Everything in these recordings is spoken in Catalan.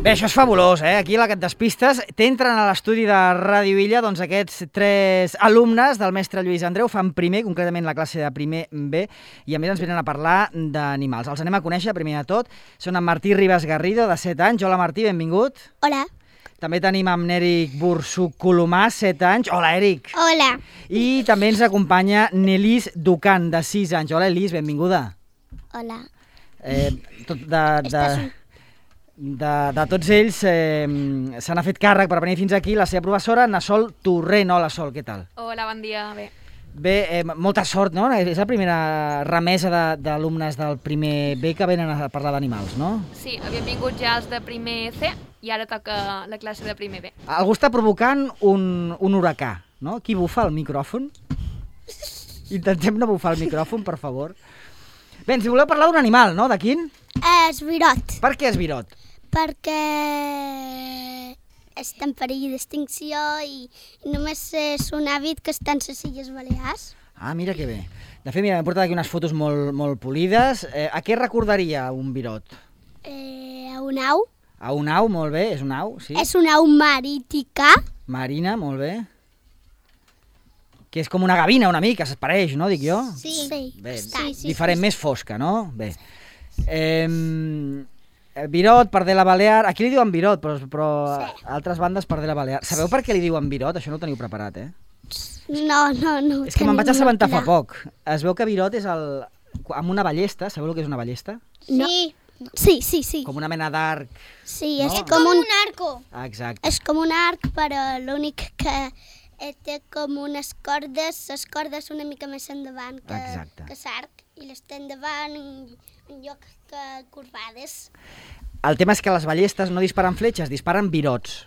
Bé, això és fabulós, eh? Aquí a la que et despistes t'entren a l'estudi de Ràdio Illa doncs aquests 3 alumnes del mestre Lluís Andreu, fan primer, concretament la classe de primer B, i a més ens venen a parlar d'animals. Els anem a conèixer, primer de tot. Són en Martí Ribas Garrido, de 7 anys. Hola, Martí, benvingut. Hola. També tenim amb Èric Bursuc Colomà, 7 anys. Hola, Èric. Hola. I també ens acompanya Nelis Ducan, de 6 anys. Hola, Elis, benvinguda. Hola. De tots ells se n'ha fet càrrec per venir fins aquí la seva professora, Nasol Torrent. Hola, Sol, què tal? Hola, bon dia, bé. Bé, molta sort, no? És la primera remesa d'alumnes del primer B que venen a parlar d'animals, no? Sí, havien vingut ja els de primer C i ara toca la classe de primer B. Algú està provocant un huracà, no? Qui bufa el micròfon? Intentem no bufar el micròfon, per favor. Bé, ens voleu parlar d'un animal, no? De quin? Esvirot. Per què esvirot? Perquè està en perill d'extinció i només és un hàbit que està en les Illes Balears. Ah, mira que bé. De fet, mira, m'he portat aquí unes fotos molt polides. A què recordaria un virot? A un au. A un au, molt bé, és un au, sí. És una au marítica. Marina, molt bé. Que és com una gavina una mica, s'espareix, no, dic jo? Sí. Bé, Sí. diferent, més fosca, no? Bé. Virot, pardela balear... Aquí li diuen virot, però a altres bandes pardela balear. Sabeu per què li diuen virot? Això no ho teniu preparat, eh? No. És que me'n vaig assabentar fa poc. Es veu que virot és amb una ballesta. Sabeu el que és una ballesta? No. Sí. Com una mena d'arc. Sí, No? és com un arco. Exacte. És com un arc, però l'únic que té com unes cordes, les cordes una mica més endavant que l'arc, i les té endavant en lloc que corbades. El tema és que les ballestes no disparen fletxes, disparen virots.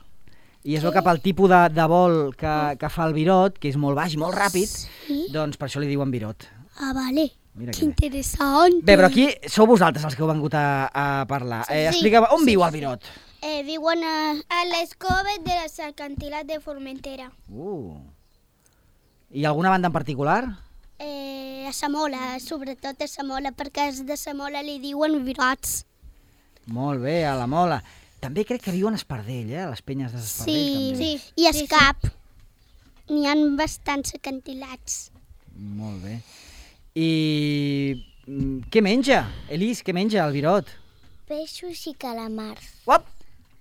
I es veu que pel tipus de vol que fa el virot, que és molt baix i molt ràpid, doncs per això li diuen virot. Ah, vale. Mira Que interessant. Bé, però aquí sou vosaltres els que heu vengut a parlar. Explica'm, on viu el virot? Viuen A les coves de les acantilats de Formentera. I alguna banda en particular? a Samola, sobretot a Samola, perquè els de Samola li diuen virots. Molt bé, a la Mola. També crec que viuen a Espardell, a les penyes d'Espardell. Sí, i a Escap. N'hi ha bastants acantilats. Molt bé. I què menja? Elis, què menja el virot? Peixos i calamars. Uop!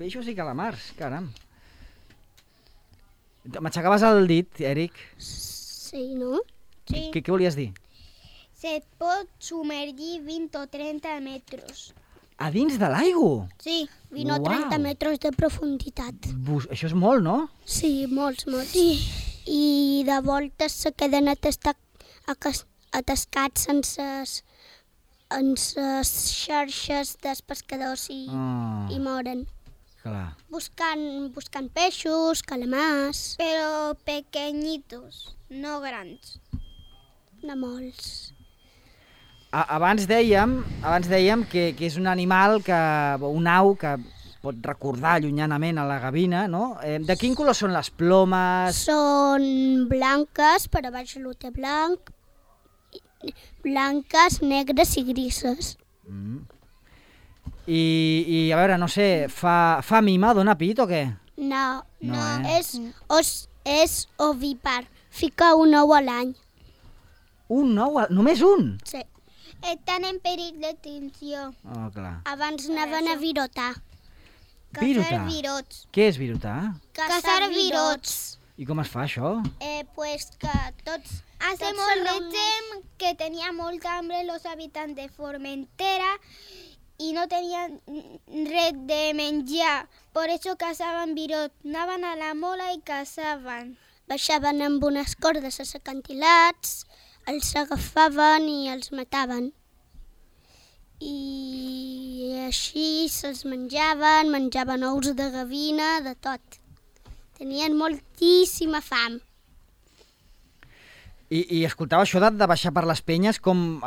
Peixos i calamars, caram. M'aixecaves el dit, Èric. Sí, no? Sí. Què volies dir? Se pot submergir 20 o 30 metres. A dins de l'aigua? Sí. 20 o 30 Uau. metres de profunditat. Això és molt, no? Sí, molts. I de voltes se queden atascats en ses xarxes dels pescadors i moren. Clar. Buscant peixos, calamars... Però pequeñitos, no grans. No molts. Abans dèiem que és un animal, un au que pot recordar llunyanament a la gavina, no? De quin color són les plomes? Són blanques, per a baix l'ho té blanc, blanques, negres i grises. I a veure, no sé, fa mima, dona pit o què? No, És ovípar. Fica un ou a l'any. Un ou? Només un? Sí. estan en perill d'extinció. Oh, clar. Abans anaven a virotar. Virotar? virots. Què és virotar? Caçar virots. I com es fa això? Pues que tots... Hace molt de temps que tenia molta hambre los habitants de Formentera i no tenien res de menjar. Per això caçaven virot. Anaven a la mola i caçaven. Baixaven amb unes cordes als acantilats, els agafaven i els mataven. I així se'ls menjaven ous de gavina, de tot. Tenien moltíssima fam. I escoltava això de baixar per les penyes com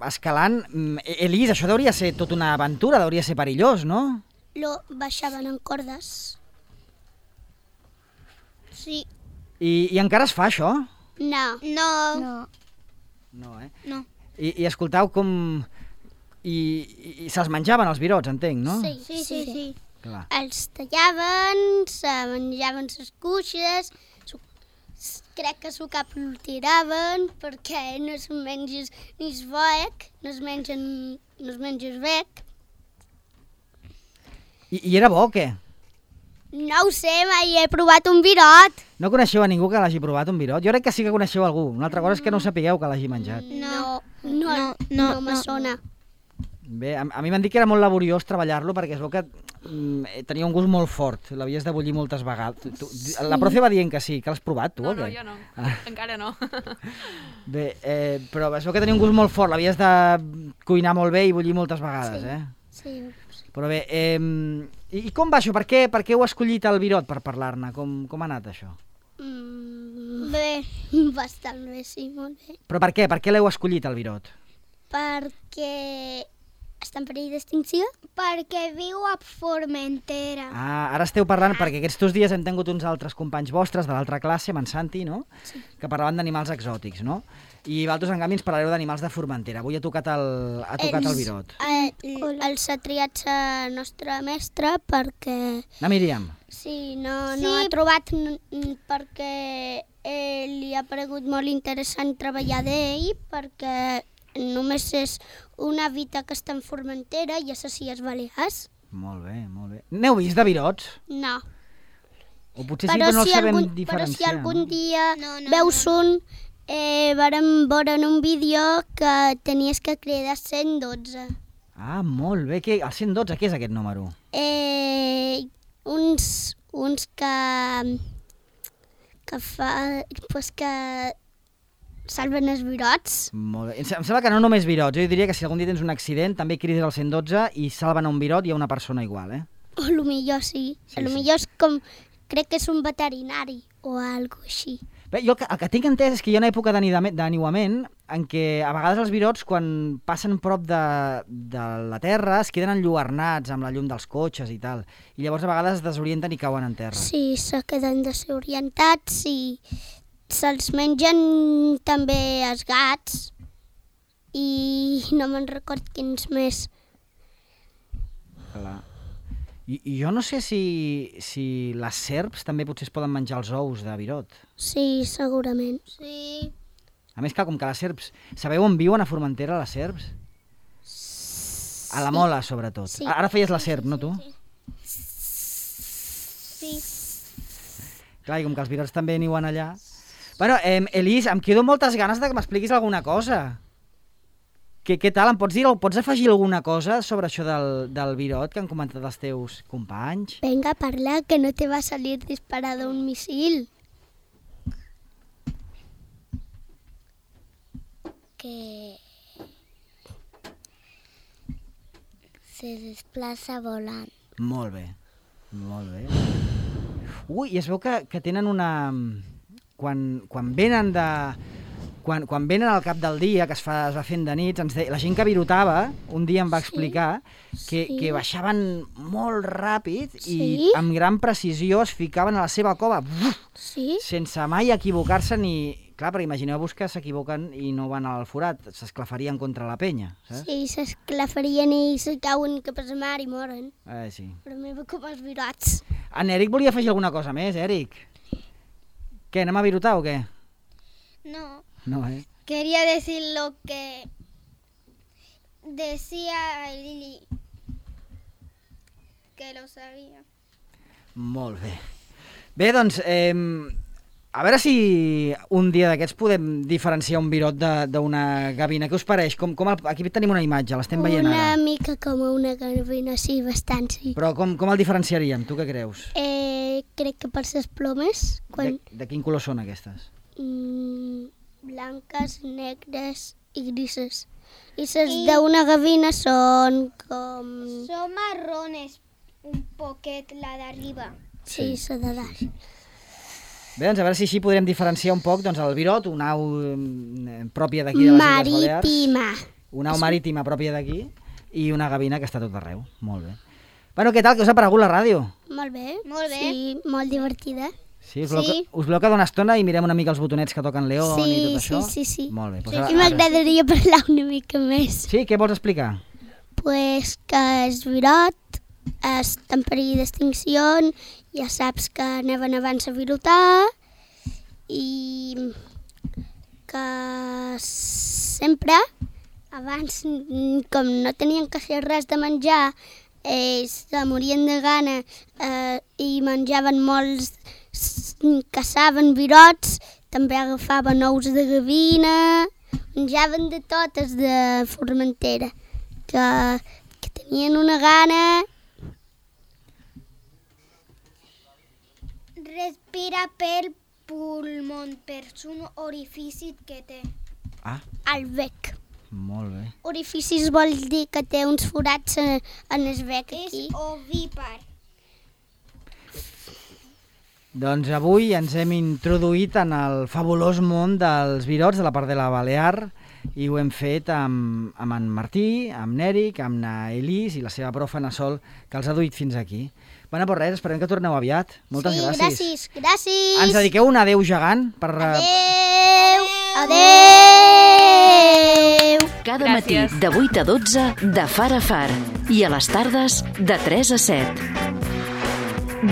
escalant. Elis, això hauria ser tota una aventura, hauria ser perillós, no? Baixaven en cordes. Sí. I encara es fa això? No. No, eh? No. I escoltau com... I se'ls menjaven els virots, entenc, no? Sí. Sí. els tallaven, se menjaven les cuixes, crec que s'ho cap el tiraven perquè no es menges ni es boec, no es menges bec. I era bo o què? No ho sé, mai he provat un virot. No coneixeu a ningú que l'hagi provat un virot? Jo crec que sí que coneixeu algú. Una altra cosa és que no ho sapigueu que l'hagi menjat. No me sona. Bé, a mi m'han dit que era molt laboriós treballar-lo perquè es veu que tenia un gust molt fort, l'havies de bullir moltes vegades. La profe va dient que sí, que l'has provat tu o què? No, jo no, encara no. Bé, però es veu que tenia un gust molt fort, l'havies de cuinar molt bé i bullir moltes vegades, Sí. Però bé, i com va això? Per què heu escollit el virot per parlar-ne? Com ha anat això? Bé, bastant bé, sí, molt bé. Però per què? Per què l'heu escollit, el virot? Perquè està en perill d'extinció? Perquè viu a Formentera. Ara esteu parlant, perquè aquests dies hem tingut uns altres companys vostres de l'altra classe, amb en Santi, no? Sí. Que parlaven d'animals exòtics, no? I vosaltres, en canvi, ens parlareu d'animals de Formentera. Avui ha tocat el virot. Els ha triat la nostra mestra perquè... La Míriam. Sí, no ha trobat perquè li ha paregut molt interessant treballar d'ell, perquè només és una vita que està en Formentera i a les Illes Balears. Molt bé, molt bé. N'heu vist de virots? No. O potser sí, però no els sabem diferenciar. Però si algun dia veus un, vàrem veure en un vídeo que tenies que cridar 112. Ah, molt bé. El 112, què és aquest número? Uns que salven els virots. Molt bé. Em sembla que no només virots. Jo diria que si algun dia tens un accident, també crides al 112 i salven a un virot i a una persona igual, O potser sí. Potser és com... Crec que és un veterinari o alguna cosa així. Bé, jo el que tinc entès és que hi ha una època d'aniuament en què a vegades els virots, quan passen prop de la terra, es queden enlluernats amb la llum dels cotxes i tal. I llavors a vegades es desorienten i cauen en terra. Sí, se queden desorientats i se'ls mengen també els gats i no me'n record quins més. Clar. I jo no sé si les serps també potser es poden menjar els ous de virot. Sí, segurament. Sí. A més, clar, com que les serps... Sabeu on viuen a Formentera, les serps? A la Mola, sobretot. Sí. Ara feies la serp, no tu? Sí. Clar, i com que els virots també niuen allà... Bueno, Elis, em quedo moltes ganes de que m'expliquis alguna cosa. Què tal? Em pots dir, pots afegir alguna cosa sobre això del virot que han comentat els teus companys? Venga, parla, que no te va a salir disparado un misil. Que se desplaça volant. Molt bé, molt bé. Ui, i es veu que tenen una... Quan venen de... Quan venen al cap del dia, que es va fent de nits, la gent que virotava, un dia em va explicar que baixaven molt ràpid i amb gran precisió es ficaven a la seva cova, sense mai equivocar-se ni... Clar, però imagineu-vos que s'equivoquen i no van al forat, s'esclafarien contra la penya, saps? Sí, s'esclafarien i se cauen cap a la mar i moren. Sí. Però meva com els virots. En Eric volia afegir alguna cosa més, Eric. Què, anem a virotar o què? No. No, Quería decir lo que decía Lili, que lo sabía. Molt bé. Bé, doncs, a veure si un dia d'aquests podem diferenciar un virot d'una gavina. Què us pareix? Aquí tenim una imatge, l'estem veient ara. Una mica com una gavina, sí, bastant, sí. Però com el diferenciaríem? Tu què creus? Crec que per les plomes... De quin color són aquestes? Blanques, negres i grises. I les d'una gavina són com... Són marrones, un poquet, la d'arriba. Sí, la de dalt. Bé, doncs a veure si així podrem diferenciar un poc el virot, una au pròpia d'aquí de les Illes Balears. Marítima. Una au marítima pròpia d'aquí i una gavina que està tot arreu. Molt bé. Bueno, què tal? Què us ha paregut la ràdio? Molt bé. Molt bé. Sí, molt divertida. Sí, us voleu quedar una estona i mirem una mica els botonets que toquen León i tot això? Sí. Molt bé. I m'agradaria parlar una mica més. Sí, què vols explicar? Pues que el virot està en perill d'extinció, ja saps que anaven abans a virotar i que sempre, abans, com no tenien quasi res de menjar, ells se morien de gana i menjaven molts, caçaven virots, també agafaven ous de gavina, menjaven de totes de Formentera, que tenien una gana. Respira pel pulmó, per un orifici que té. Al bec. Molt bé. Orificis vol dir que té uns forats en el bec aquí. És ovípar. Doncs avui ens hem introduït en el fabulós món dels virots de la Pardela Balear i ho hem fet amb en Martí, amb n'Eric, amb na Elis i la seva profa na Sol, que els ha duit fins aquí. Bueno, pues res, esperem que torneu aviat. Moltes gràcies. Gràcies. Ens dediqueu un adeu gegant per... Adeu. Cada matí de 8 a 12 de Far a Far i a les tardes de 3 a 7.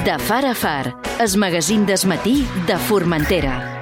De Far a Far, el magazín del matí de Formentera.